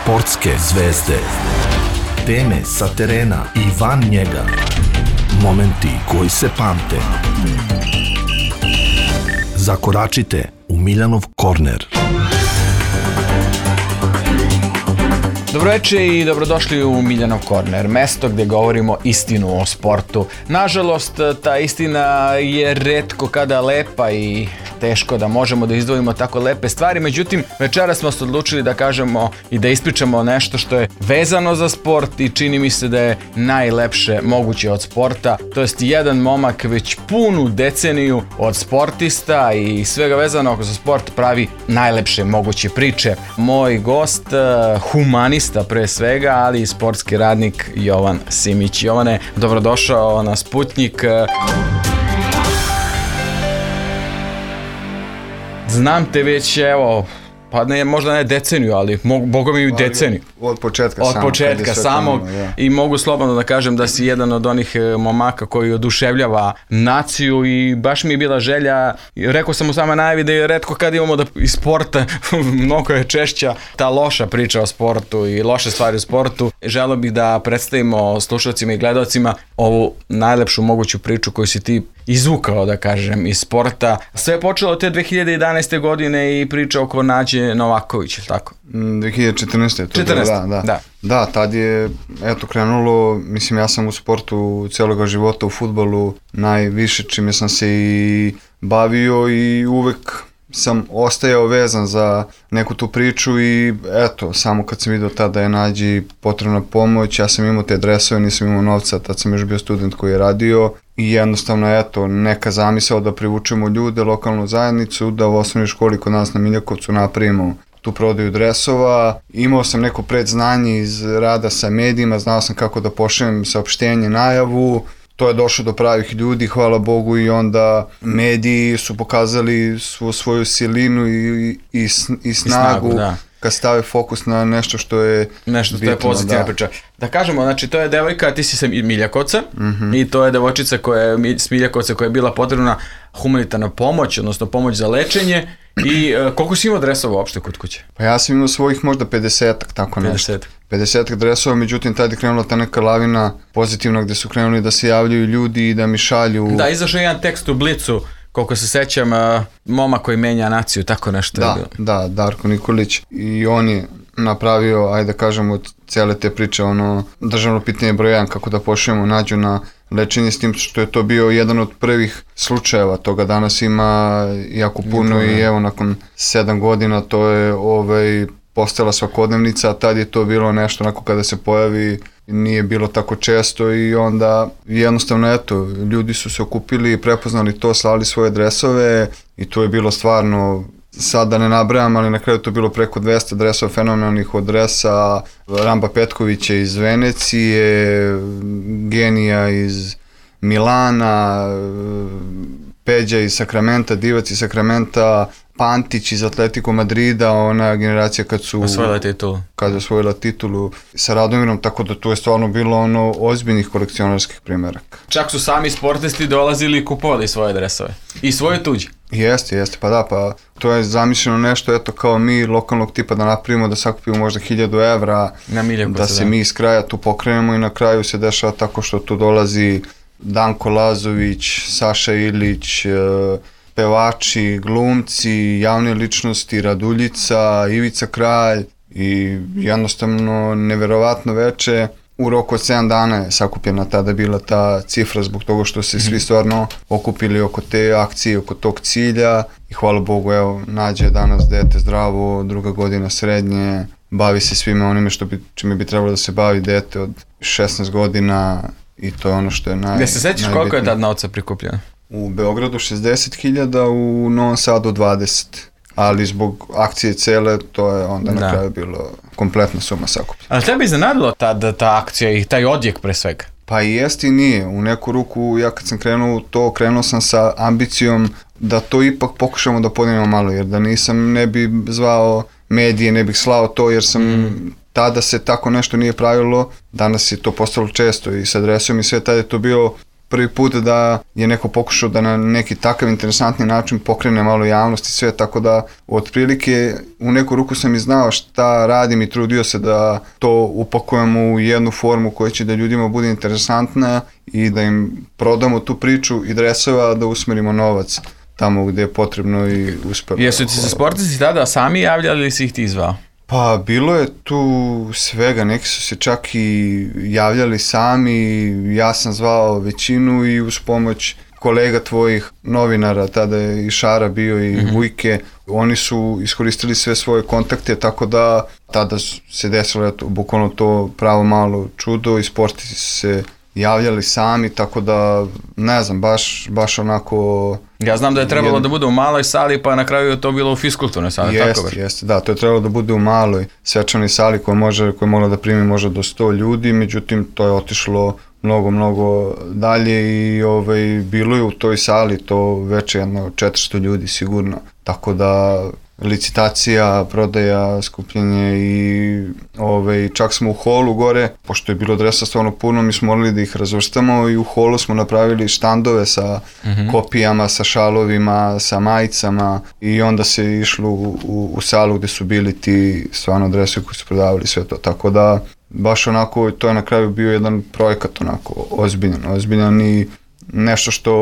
Sportske zvezde. Teme sa terena i van njega. Momenti koji se pamte. Zakoračite u Miljanov korner. Dobroveče i dobrodošli u Miljanov korner, mesto gdje govorimo istinu o sportu. Nažalost, ta istina je retko kada lepa i teško da možemo da izdvojimo tako lepe stvari, međutim, večeras smo se odlučili da kažemo i da ispričamo nešto što je vezano za sport i čini mi se da je najlepše moguće od sporta. To jest jedan momak već punu deceniju od sportista i svega vezanog za sport pravi najlepše moguće priče. Moj gost, humanista pre svega, ali i sportski radnik Jovan Simić. Jovane, dobrodošao na Sputnjik. Znam te već, evo, pa ne, možda ne deceniju, ali boga mi deceniju. Od početka samog i mogu slobodno da kažem da si jedan od onih momaka koji oduševljava naciju i baš mi je bila želja, rekao sam u samoj najavi da je retko kad imamo da iz sporta, mnogo je češća ta loša priča o sportu i loše stvari u sportu. Želeo bih da predstavimo slušalcima i gledalcima ovu najlepšu moguću priču koju si ti izvukao, da kažem, iz sporta. Sve je počelo te 2011. godine i priča oko Nađe Novaković, ili tako? 2014. 14. Da, tad je krenulo, mislim, ja sam u sportu cijeloga života, u fudbalu najviše čime sam se i bavio i uvek sam ostajao vezan za neku tu priču i samo kad sam vidio tada je Nađi potrebna pomoć, ja sam imao te dresove, nisam imao novca, tad sam još bio student koji je radio i jednostavno neka zamisao da privučemo ljude, lokalnu zajednicu, da u osnovnoj školi kod nas na Miljakovcu napravimo tu prodaju dresova. Imao sam neko predznanje iz rada sa medijima, znao sam kako da pošaljem saopštenje, najavu. To je došlo do pravih ljudi, hvala Bogu, i onda mediji su pokazali svoju silinu i snagu kad stave fokus na nešto što je bitno, pozitivna priča. Da kažemo, znači to je devojka, ti si sa Miljakovca, i to je devojčica s Miljakovca koja je bila potrebna humanitarna pomoć, odnosno pomoć za lečenje. I koliko si imao dresova uopšte kod kuće? Pa ja sam imao svojih možda 50-ak, tako nešto. 50-ak dresova, međutim tada je krenula ta neka lavina pozitivna gdje su krenuli da se javljaju ljudi i da mi šalju. Da, izašao jedan tekst u Blicu, koliko se sećam, momak koji menja naciju, tako nešto je bilo. Da, Darko Nikolić, i on je napravio, ajde da kažemo, od cijele te priče, državno pitanje broj 1, kako da pošaljemo Nađu na lečenje, s tim što je to bio jedan od prvih slučajeva, toga danas ima jako puno i evo nakon 7 godina to je postala svakodnevnica, a tad je to bilo nešto onako kada se pojavi, nije bilo tako često i onda jednostavno ljudi su se okupili, prepoznali to, slali svoje dresove i to je bilo stvarno, sad da ne nabrajam, ali na kraju to bilo preko 200 dresova fenomenalnih od dresa Ramba Petkovića iz Venecije, Genija iz Milana, Peđa iz Sakramenta, Divac iz Sakramenta, Pantić iz Atletico Madrida, ona generacija kad je osvojila titulu sa Radomirom, tako da tu je stvarno bilo ozbiljnih kolekcionarskih primjeraka. Čak su sami sportisti dolazili i kupovali svoje dresove i svoje tuđe. Jeste, pa to je zamišljeno nešto, kao mi lokalnog tipa da napravimo, da sakupimo možda 1000 evra, da se mi iz kraja tu pokrenemo i na kraju se dešava tako što tu dolazi Danko Lazović, Saša Ilić, pevači, glumci, javne ličnosti, Raduljica, Ivica Kralj i jednostavno neverovatno veče. U roku od 7 dana je sakupljena tada bila ta cifra zbog toga što se svi stvarno okupili oko te akcije, oko tog cilja i hvala Bogu, evo, Nađa je danas dete zdravo, 2. godina srednje, bavi se svime onime čime bi trebalo da se bavi dete od 16 godina i to je ono što je najbitnije. Se sećaš koliko je tad novca prikupljeno? U Beogradu 60.000, u Novom Sadu 20, ali zbog akcije cele to je onda na kraju bilo kompletna suma sakupljena. Ali tebi iznenadilo ta akcija i taj odjek pre svega? Pa i jest i nije. U neku ruku ja kad sam krenuo sam sa ambicijom da to ipak pokušamo da podignemo malo, jer da nisam ne bi zvao medije, ne bih slao to, jer sam tada se tako nešto nije pravilo, danas je to postalo često i sa dresom i sve, tada je to bio prvi put da je neko pokušao da na neki takav interesantni način pokrene malo javnost i sve, tako da otprilike u neku ruku sam i znao šta radim i trudio se da to upakujemo u jednu formu koja će da ljudima bude interesantna i da im prodamo tu priču i dresova, da usmerimo novac tamo gde je potrebno i uspelo. Jesu ti se sportisti tada sami javljali ili si ih ti zvao? Pa bilo je tu svega, neki su se čak i javljali sami, ja sam zvao većinu i uz pomoć kolega tvojih novinara, tada je i Šara bio i Vujke, oni su iskoristili sve svoje kontakte, tako da tada se desilo bukvalno to pravo malo čudo i sportisti se javljali sami, tako da ne znam, baš onako... Ja znam da je trebalo da bude u maloj sali, pa na kraju je to bilo u fiskulturnoj sali, tako već? Jeste, da, to je trebalo da bude u maloj svečanoj sali koja je mogla da primi možda do 100 ljudi, međutim to je otišlo mnogo dalje i bilo je u toj sali to već jedno 400 ljudi sigurno, tako da licitacija, prodaja, skupljenje i čak smo u holu gore, pošto je bilo dresa stvarno puno, mi smo morali da ih razvrstamo i u holu smo napravili štandove sa kopijama, sa šalovima, sa majicama i onda se išlo u salu gde su bili ti stvarno dresovi koji su prodavali sve to, tako da baš onako to je na kraju bio jedan projekat onako ozbiljan i nešto što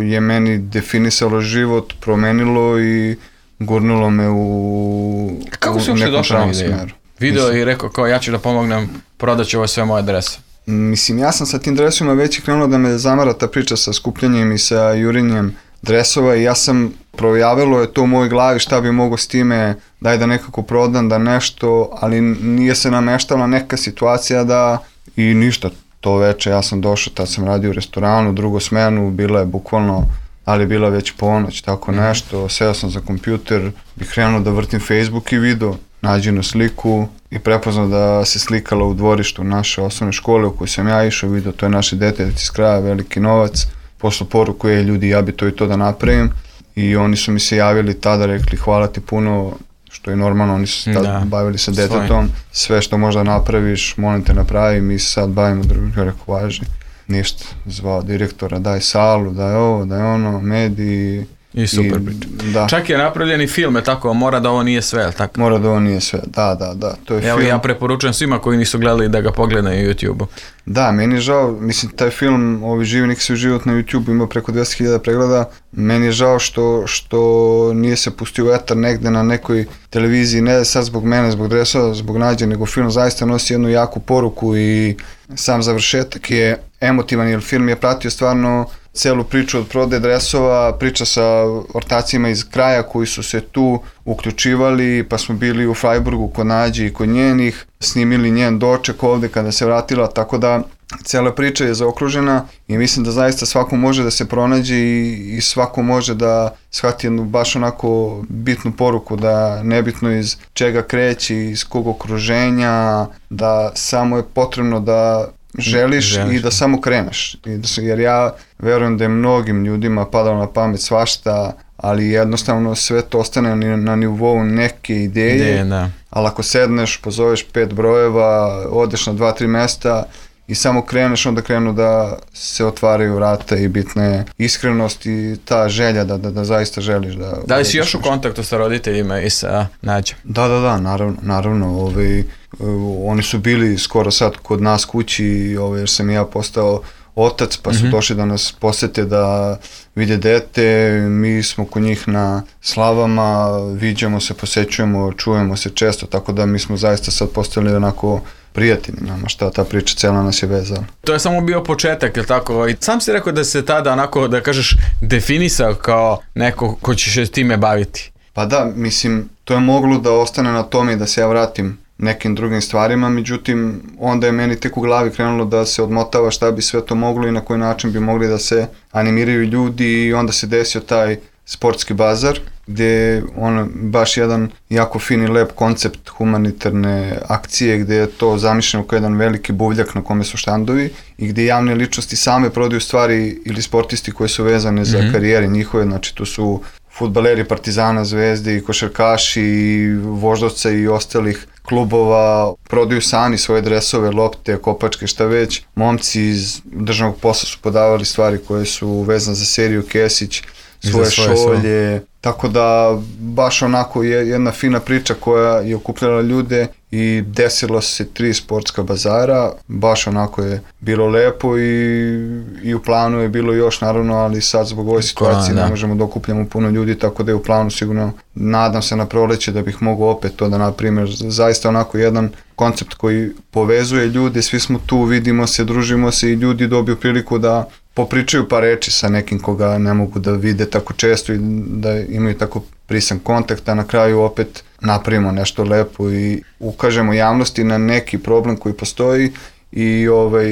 je meni definisalo život, promenilo i gurnulo me u kako si uopšte došao na ideju? Video i rekao kao ja ću da pomognem, prodat ću ovo sve moje drese. Mislim, ja sam sa tim dresovima već i krenulo da me zamara ta priča sa skupljanjem i sa jurinjem dresova i ja sam projavilo je to u mojoj glavi šta bi mogo s time, daj da nekako prodam, da nešto, ali nije se nameštala neka situacija da i ništa. To veče ja sam došao, tad sam radio u restoranu, drugu smenu, bila je bukvalno, ali bila već ponoć, tako nešto, seo sam za kompjuter i krenuo da vrtim Facebook i video, nađenu sliku i prepoznao da se slikala u dvorištu naše osnovne škole u kojoj sam ja išao, video, to je naše dete iz kraja, veliki novac, poslao poruku je ljudi, ja bi to i to da napravim i oni su mi se javili tada, rekli hvala ti puno, što je normalno, oni su se tada bavili sa detetom, sve što možda napraviš, molim te napravi, mi se sad bavimo drugim, ja rekao važi. Ništa, zvao direktora, daj salu, daj ovo, daj ono, mediji. I super priča. Da. Čak je napravljeni film, je tako, mora da ovo nije sve, tako? Mora da ovo nije sve, da, to je Evo, film. Ja preporučujem svima koji nisu gledali da ga pogledaju na YouTube-u. Da, meni je žao, mislim, taj film, Živi neki su život na YouTube-u, ima preko 200.000 pregleda, meni je žao što nije se pustio u etar negde na nekoj televiziji, ne sad zbog mene, zbog dresova, zbog Nađe, nego film zaista nosi jednu jaku poruku i sam završetak je emotivan, jer film je pratio stvarno celu priču od prodaje dresova, priča sa ortacima iz kraja koji su se tu uključivali, pa smo bili u Freiburgu kod Nađe i kod njenih, snimili njen doček ovde kada se vratila, tako da cela priča je zaokružena i mislim da zaista svako može da se pronađe i svako može da shvati jednu baš onako bitnu poruku, da nebitno iz čega kreće, iz kog okruženja, da samo je potrebno da želiš i da samo kreneš. Jer ja verujem da je mnogim ljudima padalo na pamet svašta, ali jednostavno sve to ostane na nivou neke ideje, ali ako sedneš, pozoveš 5 brojeva, odeš na 2-3 mesta i samo kreneš, onda krenu da se otvaraju vrata i bitna je iskrenost i ta želja da zaista želiš da... Da li si još u kontaktu sa roditeljima i sa Nađom? Da, naravno. Oni su bili skoro sad kod nas kući, jer sam ja postao otac, pa su došli da nas posete da vide dete, mi smo kod njih na slavama, viđamo se, posećujemo, čujemo se često, tako da mi smo zaista sad postali onako prijatelji nama, šta ta priča cela nas je vezala. To je samo bio početak, je li tako? I sam si rekao da se tada onako, da kažeš, definisao kao neko ko će se time baviti. Pa da, mislim, to je moglo da ostane na tome i da se ja vratim nekim drugim stvarima, međutim, onda je meni tek u glavi krenulo da se odmotava šta bi sve to moglo i na koji način bi mogli da se animiraju ljudi i onda se desio taj sportski bazar, gde je baš jedan jako fin i lep koncept humanitarne akcije, gde je to zamišljeno kao jedan veliki buvljak na kome su štandovi i gde javne ličnosti same prodaju stvari ili sportisti koji su vezane za karijere njihove, znači tu su fudbaleri Partizana, Zvezde i košarkaši i Voždovca i ostalih klubova prodaju sami svoje dresove, lopte, kopačke, šta već. Momci iz državnog posla su podavali stvari koje su vezane za seriju Kesić, svoje šolje, tako da baš onako jedna fina priča koja je okupljala ljude i desilo se 3 sportska bazara, baš onako je bilo lepo i u planu je bilo još naravno, ali sad zbog ove situacije ne možemo da okupljamo puno ljudi, tako da je u planu sigurno, nadam se na proleće da bih mogao opet to da naprimer, zaista onako jedan koncept koji povezuje ljude, svi smo tu, vidimo se, družimo se i ljudi dobiju priliku da popričaju par reči sa nekim koga ne mogu da vide tako često i da imaju tako prisan kontakt, a na kraju opet napravimo nešto lepo i ukažemo javnosti na neki problem koji postoji i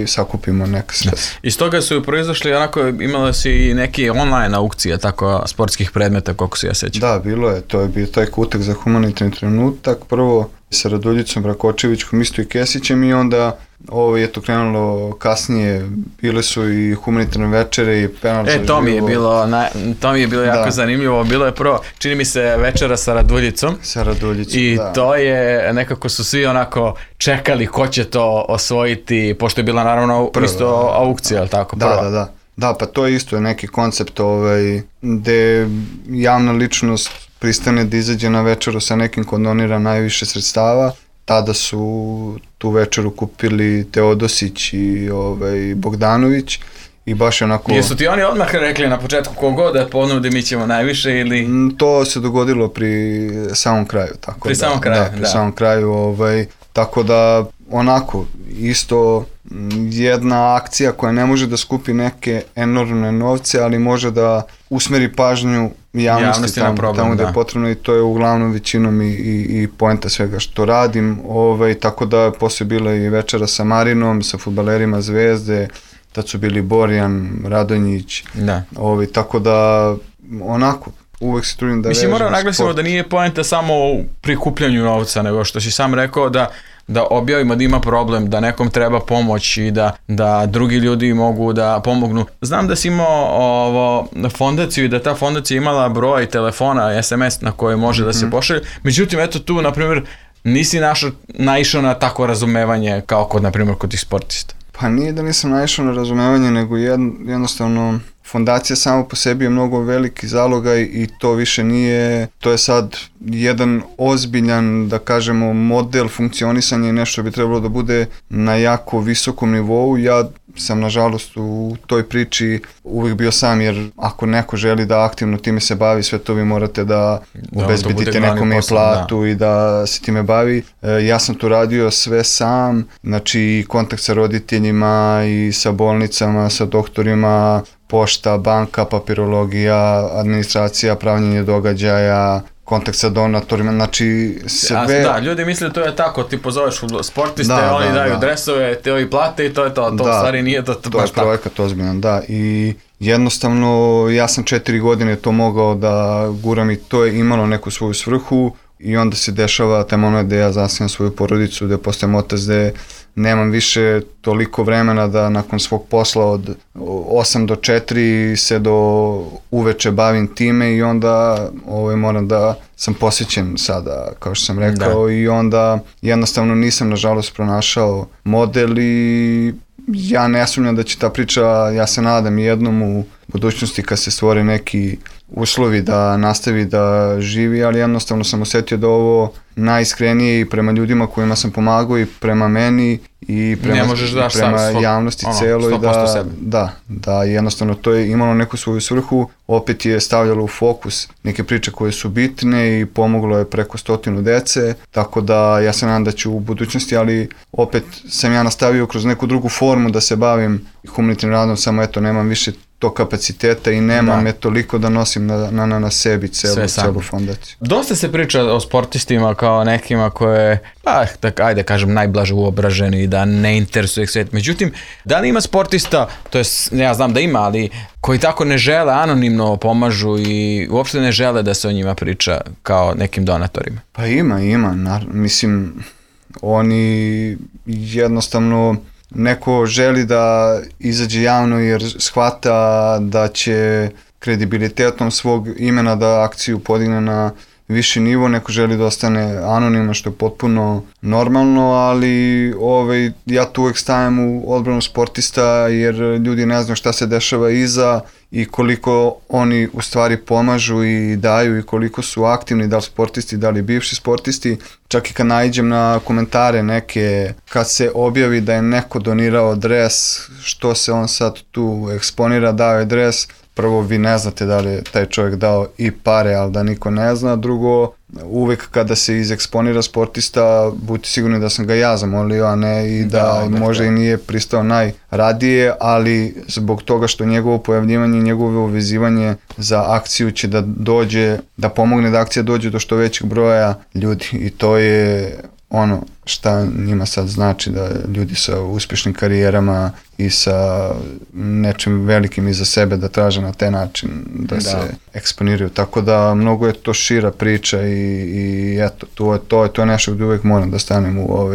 sakupimo neka sredstva. Iz toga su proizašli, onako imala si i neke online aukcije, tako sportskih predmeta, koliko se ja sećam. Da, bilo je, to je bio taj kutak za humanitarni trenutak, prvo sa Raduljicom Rakočevićkom, isto i Kesićem i onda je to krenulo kasnije, bile su i humanitarne večere i penal za život. To mi je bilo jako zanimljivo, bilo je prvo, čini mi se večera sa Raduljicom. Sa Raduljicom, i to je, nekako su svi onako čekali ko će to osvojiti, pošto je bila naravno isto aukcija, ali tako? Da, pa to je isto neki koncept gde javna ličnost pristane da izađe na večeru sa nekim ko donira najviše sredstava. Tada su tu večeru kupili Teodosić i Bogdanović i baš onako... Jesu ti oni odmah rekli na početku kogod da ponudi mi ćemo najviše ili... To se dogodilo pri samom kraju. Tako pri samom kraju, da. Pri samom kraju, tako da onako isto jedna akcija koja ne može da skupi neke enormne novce, ali može da usmeri pažnju javnosti tamo gde je potrebno i to je uglavnom većinom i poenta svega što radim, tako da posle bila i večera sa Marinom, sa fudbalerima Zvezde, tad su bili Borjan, Radonjić, tako da onako uvek se trudim da vežem moramo naglasimo da nije poenta samo u prikupljanju novca, nego što si sam rekao da objavimo da ima problem, da nekom treba pomoć i da drugi ljudi mogu da pomognu. Znam da si imao fondaciju i da ta fondacija imala broj telefona, SMS na koje može da se pošalje. Međutim, eto tu, na primjer, nisi naišao na tako razumevanje kao kod, na primjer, kod tih sportista. Pa nije da nisam naišao na razumevanje, nego jednostavno fondacija samo po sebi je mnogo veliki zalogaj i to više nije, to je sad jedan ozbiljan, da kažemo, model funkcionisanja i nešto bi trebalo da bude na jako visokom nivou. Ja sam nažalost u toj priči uvijek bio sam, jer ako neko želi da aktivno time se bavi, sve to vi morate da obezbedite nekome platu i da se time bavi. Ja sam tu radio sve sam, znači kontakt sa roditeljima i sa bolnicama, sa doktorima, pošta, banka, papirologija, administracija, pravljenje događaja, kontakt sa donatorima, znači sve... Da, ljudi misle da to je tako, ti pozoveš sportiste, oni daju dresove, te ovi plate i to je to, to u stvari nije to baš tako. To je projekat ozbiljan, da, i jednostavno ja sam 4 godine to mogao da guram i to je imalo neku svoju svrhu i onda se dešava taj moment gde ja zasnijem svoju porodicu, gde postajem otac, gde nemam više toliko vremena da nakon svog posla od 8 do 4 se do uveče bavim time i onda moram da sam posvećen sada, kao što sam rekao, i onda jednostavno nisam nažalost pronašao model i ja ne sumnjam da će ta priča, ja se nadam jednom u budućnosti kad se stvore neki uslovi da nastavi da živi, ali jednostavno sam osjetio da ovo najiskrenije i prema ljudima kojima sam pomagao i prema meni i prema javnosti celoj, da jednostavno to je imalo neku svoju svrhu, opet je stavljalo u fokus neke priče koje su bitne i pomoglo je preko 100 dece, tako da ja se nadam da ću u budućnosti, ali opet sam ja nastavio kroz neku drugu formu da se bavim humanitarnim radom, samo eto nemam više to kapaciteta i nemam toliko da nosim na sebi celu fondaciju. Dosta se priča o sportistima kao nekima koje, ajde kažem, najblaže uobraženi i da ne interesuje svet. Međutim, da li ima sportista, to je, ja znam da ima, ali koji tako ne žele, anonimno pomažu i uopšte ne žele da se o njima priča kao nekim donatorima? Pa ima. Mislim, oni jednostavno... Neko želi da izađe javno jer shvata da će kredibilitetom svog imena da akciju podigne na viši nivo, neko želi da ostane anoniman, što je potpuno normalno, ali ja tu uvek stajem u odbranu sportista, jer ljudi ne znaju šta se dešava iza i koliko oni u stvari pomažu i daju i koliko su aktivni, da li sportisti, da li bivši sportisti. Čak i kad naiđem na komentare neke, kad se objavi da je neko donirao dres, što se on sad tu eksponira, dao je dres, prvo, vi ne znate da li je taj čovjek dao i pare, ali da niko ne zna. Drugo, uvek kada se izeksponira sportista, budite sigurni da sam ga ja zamolio, a ne i da možda i nije pristao najradije, ali zbog toga što njegovo pojavljivanje i njegovo uvezivanje za akciju će da dođe, da pomogne da akcija dođe do što većeg broja ljudi i to je ono šta njima sad znači, da ljudi sa uspješnim karijerama i sa nečim velikim iza sebe da traže na taj način da se eksponiraju. Tako da mnogo je to šira priča i eto, to je nešto gdje uvijek moram da stanem u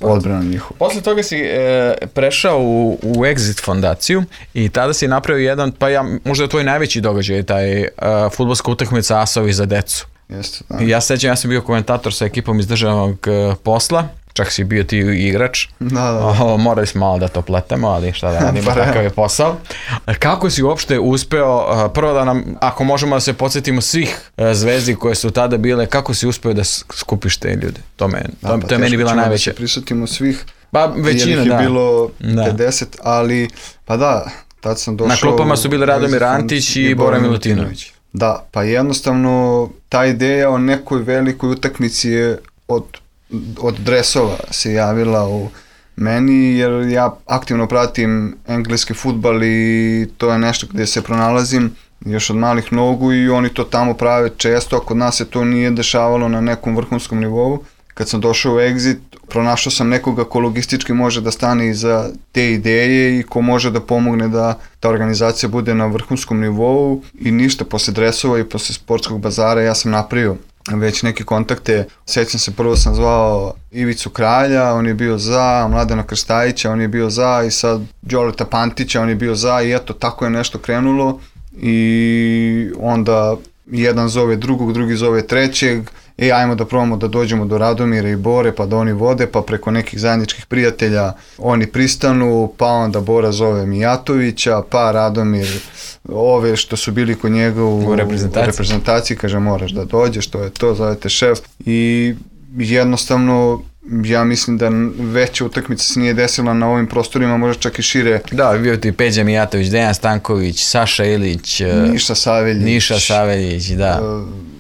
odbranu njihovu. Posle toga si prešao u Exit fondaciju i tada si napravio jedan, možda je tvoj najveći događaj, taj fudbalska utakmica Asovi za decu. Jeste, da. Ja sećam, ja sam bio komentator sa ekipom iz državnog posla, čak si bio ti igrač. Da. Morali smo malo da to pletemo, ali šta da radimo, takav je posao. Kako si uopšte uspeo, prvo da nam, ako možemo da se podsjetimo svih zvezdi koje su tada bile, kako si uspeo da skupiš te ljude? To je meni bila najveća. Da se prisjetimo svih, većina, jer ih je bilo 50, ali tad sam došao... Na klopama su bili Radomir Antić i Bora Milutinović. Da, pa jednostavno ta ideja o nekoj velikoj utakmici je od dresova se javila u meni, jer ja aktivno pratim engleski fudbal i to je nešto gdje se pronalazim još od malih nogu i oni to tamo prave često, a kod nas se to nije dešavalo na nekom vrhunskom nivou. Kad sam došao u Exit, pronašao sam nekoga ko logistički može da stane iza te ideje i ko može da pomogne da ta organizacija bude na vrhunskom nivou i ništa, posle dresova i posle sportskog bazara ja sam napravio već neke kontakte. Sjećam se, prvo sam zvao Ivicu Kralja, on je bio za, Mladena Krstajića, on je bio za i sad Đoleta Pantića, on je bio za i eto, tako je nešto krenulo i onda jedan zove drugog, drugi zove trećeg, ajmo da probamo da dođemo do Radomira i Bore, pa da oni vode, pa preko nekih zajedničkih prijatelja oni pristanu, pa onda Bora zove Mijatovića, pa Radomir ove što su bili kod njega u reprezentaciji, kaže moraš da dođeš, to je to, zovete šef i jednostavno ja mislim da veća utakmica se nije desila na ovim prostorima, možda čak i šire. Da, bio ti Peđa Mijatović, Dejan Stanković, Saša Ilić, Niša Saveljić, da.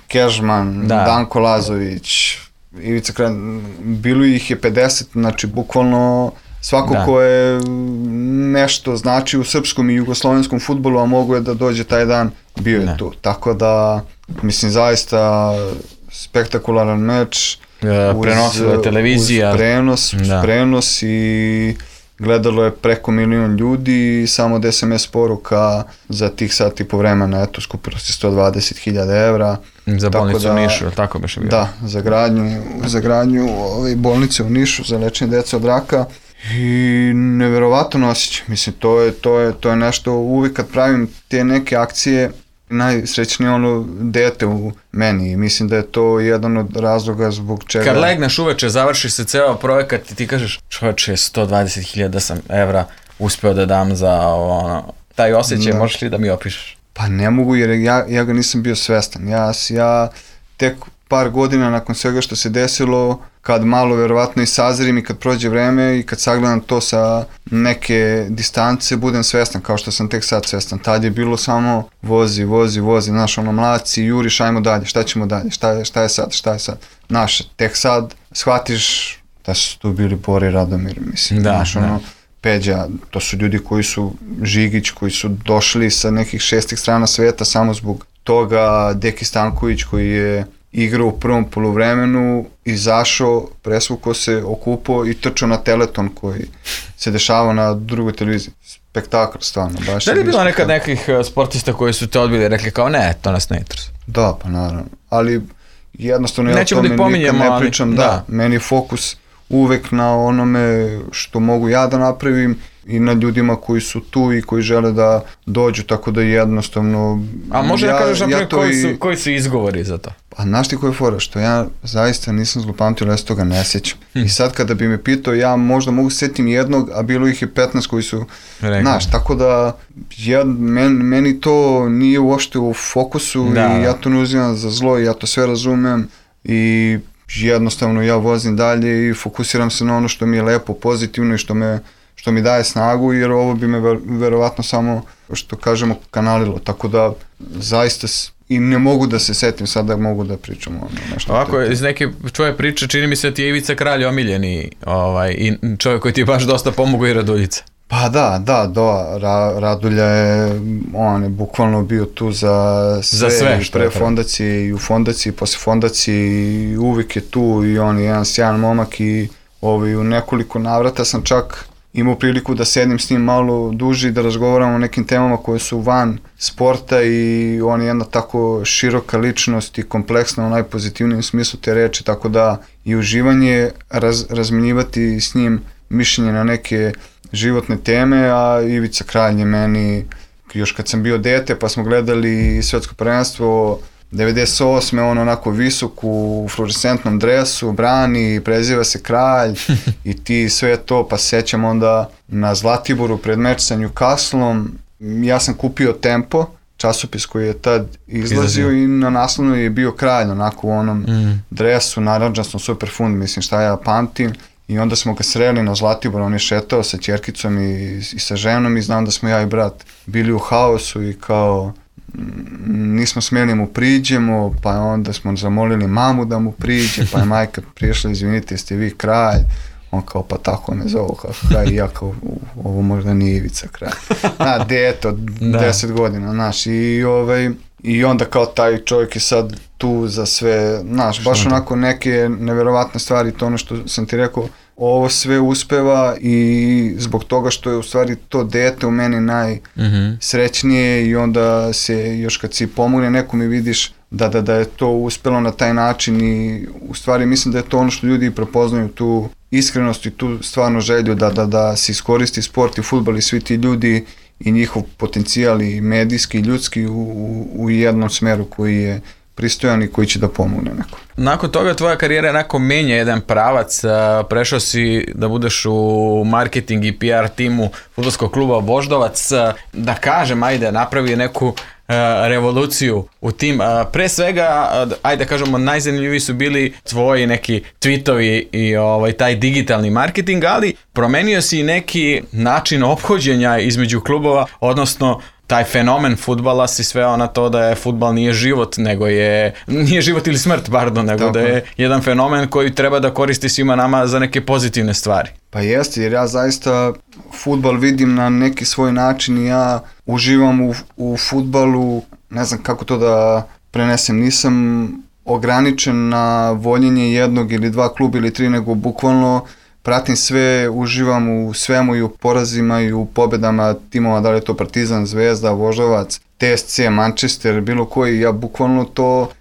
Kežman, da. Danko Lazović, Ivica Kralj, bilo ih je 50, znači bukvalno svako ko je nešto znači u srpskom i jugoslovenskom fudbalu, a mogo je da dođe taj dan, bio je tu. Tako da, mislim, zaista spektakularan meč. Prenosila televizija. Uz prenos i gledalo je preko 1 milion ljudi i samo od SMS poruka za tih sat i po vremena, eto, skupilo se 120.000 evra. Za bolnicu u Nišu, tako bi še bilo. Da, za gradnju bolnice u Nišu, za lečenje deca od raka. I neverovatno osjećaj, mislim, to je nešto, uvijek kad pravim te neke akcije, najsrećnije ono dete u meni i mislim da je to jedan od razloga zbog čega... Kad legneš uveče, završi se ceo projekat i ti kažeš čovječe, 120.000 sam evra uspeo da dam za taj osjećaj, možeš li da mi opišeš? Pa ne mogu jer ja ga nisam bio svestan, ja tek par godina nakon svega što se desilo, kad malo verovatno i sazrim i kad prođe vreme i kad sagledam to sa neke distance, budem svestan kao što sam tek sad svestan. Tad je bilo samo vozi, znaš, mladci, juriš, ajmo dalje, šta ćemo dalje, šta je sad. Znaš, tek sad shvatiš da su tu bili Bora i Radomir, mislim, znaš, Peđa, to su ljudi koji su Žigić, koji su došli sa nekih 6 strana sveta samo zbog toga, Deki Stanković koji je igrao u prvom poluvremenu, izašao, presvukao se, okupao i trčao na Teleton koji se dešavao na drugoj televiziji. Spektakl, stvarno. Da li je bilo nekad nekih sportista koji su te odbili i rekli kao ne, to nas ne interesuje? Da, pa naravno. Ali jednostavno ja o tome nikad ne pričam. Da, meni je fokus uvek na onome što mogu ja da napravim i na ljudima koji su tu i koji žele da dođu, tako da jednostavno... A može da kažeš koji su izgovori za to? Pa znaš ti koja je fora, što ja zaista nisam zlopamtio, ali ja se toga ne sjećam. I sad kada bi me pitao, ja možda mogu sjetim jednog, a bilo ih je 15 koji su, znaš, tako da meni to nije uopšte u fokusu i ja to ne uzimam za zlo i ja to sve razumem i jednostavno ja vozim dalje i fokusiram se na ono što mi je lepo, pozitivno i što mi daje snagu, jer ovo bi me verovatno samo, što kažemo, kanalilo, tako da zaista i ne mogu da se setim sad da mogu da pričam o nešto. Ovako, iz neke tvoje priče čini mi se da ti je Ivica Kralj omiljeni i čovjek koji ti je baš dosta pomogao i Raduljica. Pa da, Radulja je, on je bukvalno bio tu za sve pre fondacije i u fondaciji, posle fondacije i uvijek je tu i on je jedan sjajan momak i u nekoliko navrata sam čak imao priliku da sedim s njim malo duže i da razgovaramo o nekim temama koje su van sporta i on je jedna tako široka ličnost i kompleksna u najpozitivnijem smislu te reči, tako da i uživanje razmenjivati s njim mišljenje na neke životne teme, a Ivica Kralj je meni, još kad sam bio dete pa smo gledali svetsko prvenstvo 98. on onako visok u fluorescentnom dresu, brani, preziva se Kralj i ti sve to, pa sećam onda na Zlatiboru pred meč sa Newcastlom, ja sam kupio Tempo, časopis koji je tad izlazio i na naslovnu je bio Kralj, onako u onom dresu, narandžastom super fund, mislim šta ja pamtim. I onda smo ga sreli na Zlatiboru, on je šetao sa ćerkicom i sa ženom i znam da smo ja i brat bili u haosu i kao nismo smjeli mu priđemo, pa onda smo zamolili mamu da mu priđe, pa je majka prišla, izvinite, jeste vi Kralj? On kao, pa tako me zovu kao Kralj i ja kao, ovo možda nije Ivica Kralj. Deto, 10 godina, znaš, i onda kao taj čovjek je sad tu za sve, znaš, baš onako neke neverovatne stvari, to ono što sam ti rekao, ovo sve uspeva i zbog toga što je u stvari to dete u meni najsrećnije i onda se još kad si pomogne nekom i vidiš da je to uspelo na taj način i u stvari mislim da je to ono što ljudi prepoznaju, tu iskrenost i tu stvarno želju da se iskoristi sport i fudbal i svi ti ljudi i njihov potencijal i medijski i ljudski u jednom smeru koji je pristojan i koji će da pomogne neko. Nakon toga tvoja karijera onako menja jedan pravac, prešao si da budeš u marketing i PR timu fudbalskog kluba Voždovac, da kažem, ajde, napravi neku revoluciju u tim. Pre svega, ajde da kažemo, najzanimljiviji su bili tvoji neki tweetovi i taj digitalni marketing, ali promenio si neki način ophođenja između klubova, odnosno taj fenomen fudbala si sveo na to da je fudbal nije život, nije život ili smrt, nego da je jedan fenomen koji treba da koristi svima nama za neke pozitivne stvari. Pa jeste, jer ja zaista fudbal vidim na neki svoj način i ja uživam u fudbalu, ne znam kako to da prenesem, nisam ograničen na voljenje jednog ili dva kluba ili tri, nego bukvalno pratim sve, uživam u svemu i u porazima i u pobedama timova, da li je to Partizan, Zvezda, Voždovac, TSC, Manchester, bilo koji, ja bukvalno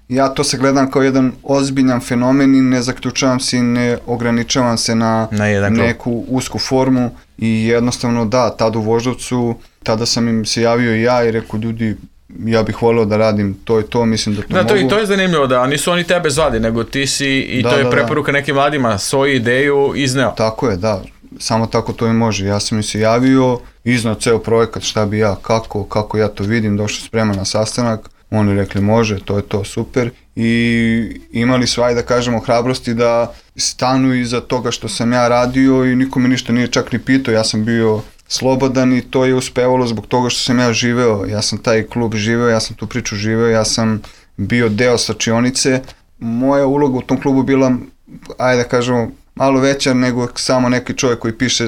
ja to se gledam kao jedan ozbiljan fenomen i ne zaključavam se i ne ograničavam se na neku usku formu i jednostavno da, tad u Voždovcu, tada sam im se javio i ja i rekao ljudi, ja bih volio da radim to i to, mislim da to mogu. To je zanimljivo, da nisu oni tebe zvali, nego ti si, i to je preporuka nekim mladima, svoju ideju izneo. Tako je, da, samo tako to i može. Ja sam im se javio, iznao ceo projekat, šta bi ja, kako ja to vidim, došao spreman na sastanak, oni rekli može, to je to, super. I imali su, ajde da kažemo, hrabrosti da stanu iza toga što sam ja radio i niko me ništa nije čak ni pitao, ja sam bio slobodan i to je uspevalo zbog toga što sam ja živeo, ja sam taj klub živeo, ja sam tu priču živeo, ja sam bio deo slačionice. Moja uloga u tom klubu bila, ajde da kažemo, malo veća nego samo neki čovjek koji piše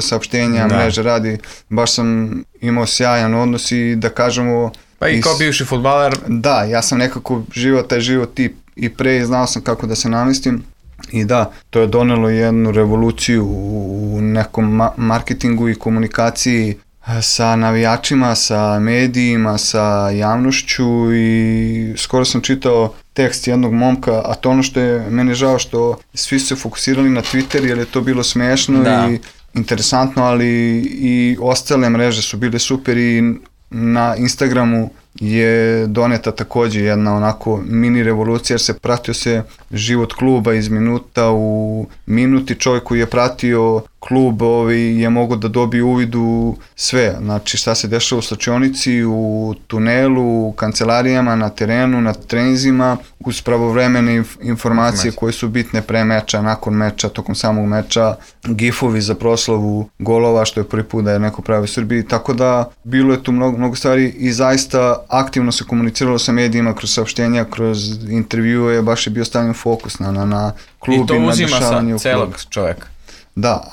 saopštenja, mreže radi, baš sam imao sjajan odnos i da kažemo... Pa i kao bivši fudbaler? Da, ja sam nekako živao taj život i pre i znao sam kako da se namestim. I da, to je donelo jednu revoluciju u nekom marketingu i komunikaciji sa navijačima, sa medijima, sa javnošću i skoro sam čitao tekst jednog momka, a to ono što je meni žao što svi su se fokusirali na Twitter jer je to bilo smešno i interesantno, ali i ostale mreže su bile super i na Instagramu je doneta takođe jedna onako mini revolucija, jer se pratio se život kluba iz minuta u minuti. Čovjek koji je pratio klub je mogao da dobije uvid u sve, znači šta se dešava u slačionici, u tunelu, u kancelarijama, na terenu, na treninzima, uz pravovremene informacije koje su bitne pre meča, nakon meča, tokom samog meča, gifovi za proslavu golova, što je prvi put da je neko pravi u Srbiji, tako da bilo je tu mnogo stvari i zaista aktivno se komuniciralo sa medijima kroz saopštenja, kroz intervjue, baš je bio stavljen fokus na klub i na dešavanje u klubu. I to uzima sa celog čoveka. Da,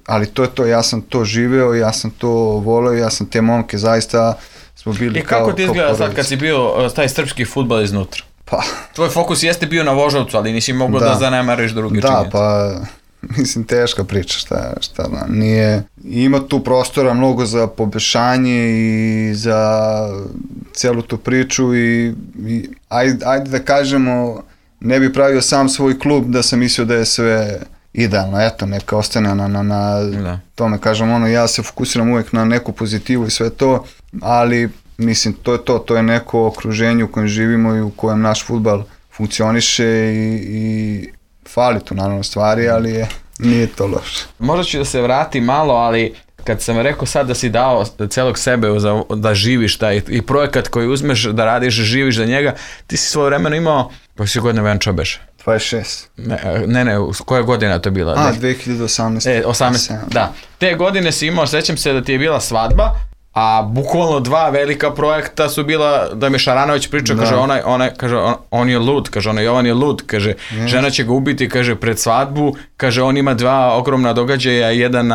ali to je to, ja sam to živeo, ja sam to voleo, ja sam te momke zaista smo bili kao porodice. I kako ti izgleda sad kad si bio taj srpski fudbal iznutra? Pa... Tvoj fokus jeste bio na Voždovcu, ali nisi mogao da zanemariš druge činjenice. Da, pa mislim teška priča, šta da, nije, ima tu prostora mnogo za poboljšanje i za celu tu priču i ajde da kažemo, ne bi pravio sam svoj klub da sam mislio da je sve idealno, eto, neka ostane na tome, kažem, ja se fokusiram uvek na neku pozitivu i sve to, ali mislim, to je neko okruženje u kojem živimo i u kojem naš fudbal funkcioniše i fali tu naravno stvari, ali nije to loše. Možda ću da se vrati malo, ali kad sam rekao sad da si dao celog sebe da živiš taj i projekat koji uzmeš da radiš, živiš za njega, ti si svoje vremeno imao, pa si godina Venča beše? 26. Ne, koja godina to je bila? 2018. 18, da. Te godine si imao, sećam se da ti je bila svadba, a bukvalno 2 velika projekta su bila, da mi Šaranović priča, kaže, kaže, on je lud, kaže, Jovan je lud, kaže, žena će ga ubiti, kaže, pred svadbu, kaže, on ima 2 ogromna događaja, jedan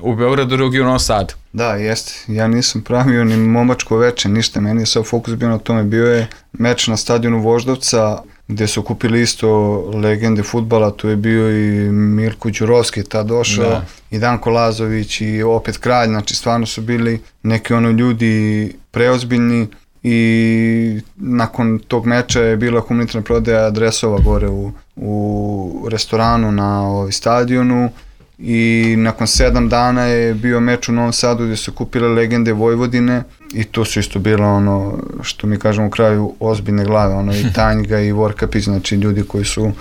u Beogradu, drugi u Novom Sadu. Da, jeste, ja nisam pravio ni momačko veče, ništa, meni je sad fokus bio na tome, bio je meč na stadionu Voždovca, gde su kupili isto legende fudbala, tu je bio i Mirko Đurovski tad došao, i Danko Lazović i opet Kralj, znači stvarno su bili neki ljudi preozbiljni i nakon tog meča je bila humanitarna prodaja dresova gore u restoranu na stadionu i nakon 7 dana je bio meč u Novom Sadu gde su kupile legende Vojvodine i to su isto bilo što mi kažemo u kraju ozbiljne glave, i Tanjga i Vorkapić, znači ljudi koji su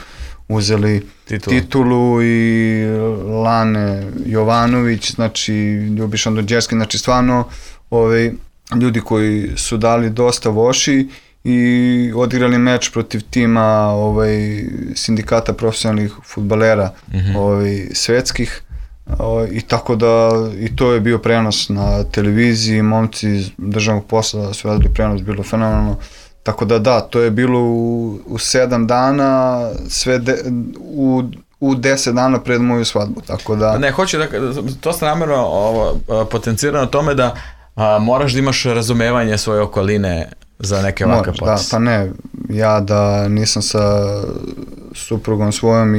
uzeli titulu i Lane Jovanović, znači Ljubiša Dođerski, znači stvarno ljudi koji su dali dosta voši i odigrali meč protiv tima sindikata profesionalnih fudbalera svetskih i tako da i to je bio prenos na televiziji, momci iz državnog posla su radili prenos, bilo fenomenalno, tako da to je bilo u 7 dana, sve u 10 dana pred moju svadbu, tako da... Ne, hoću da, to ste namjerno potencirano tome da moraš da imaš razumevanje svoje okoline za neke ovakve poteze. Pa ne, ja da nisam sa suprugom svojom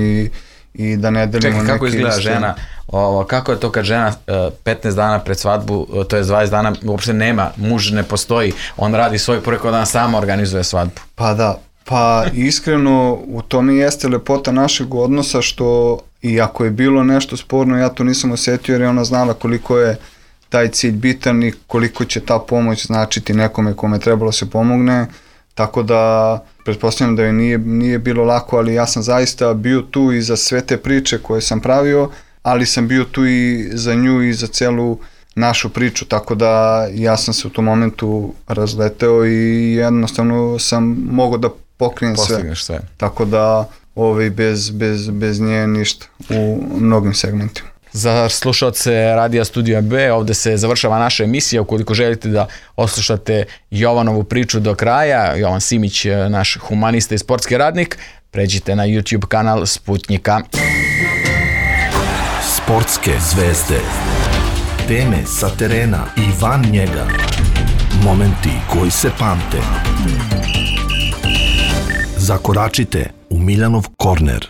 i da ne delimo neke... Čekaj, kako izgleda žena? Kako je to kad žena 15 dana pred svadbu, to je 20 dana, uopšte nema, muž ne postoji, on radi svoj projekt, on sama organizuje svadbu. Pa da, pa iskreno u tome jeste lepota našeg odnosa što i ako je bilo nešto sporno, ja to nisam osetio jer je ona znala koliko je taj cilj bitan i koliko će ta pomoć značiti nekome kome trebalo se pomogne, tako da pretpostavljam da joj nije bilo lako, ali ja sam zaista bio tu i za sve te priče koje sam pravio, ali sam bio tu i za nju i za celu našu priču, tako da ja sam se u tom momentu razleteo i jednostavno sam mogao da pokrijem sve. Tako da bez nje ništa u mnogim segmentima. Za slušalce Radija Studio B, ovde se završava naša emisija. Ukoliko želite da oslušate Jovanovu priču do kraja, Jovan Simić, naš humanista i sportski radnik, pređite na YouTube kanal Sputnjika. Sportske zvezde, teme sa terena i van njega, momenti koji se pamte. Zakoračite u Miljanov korner.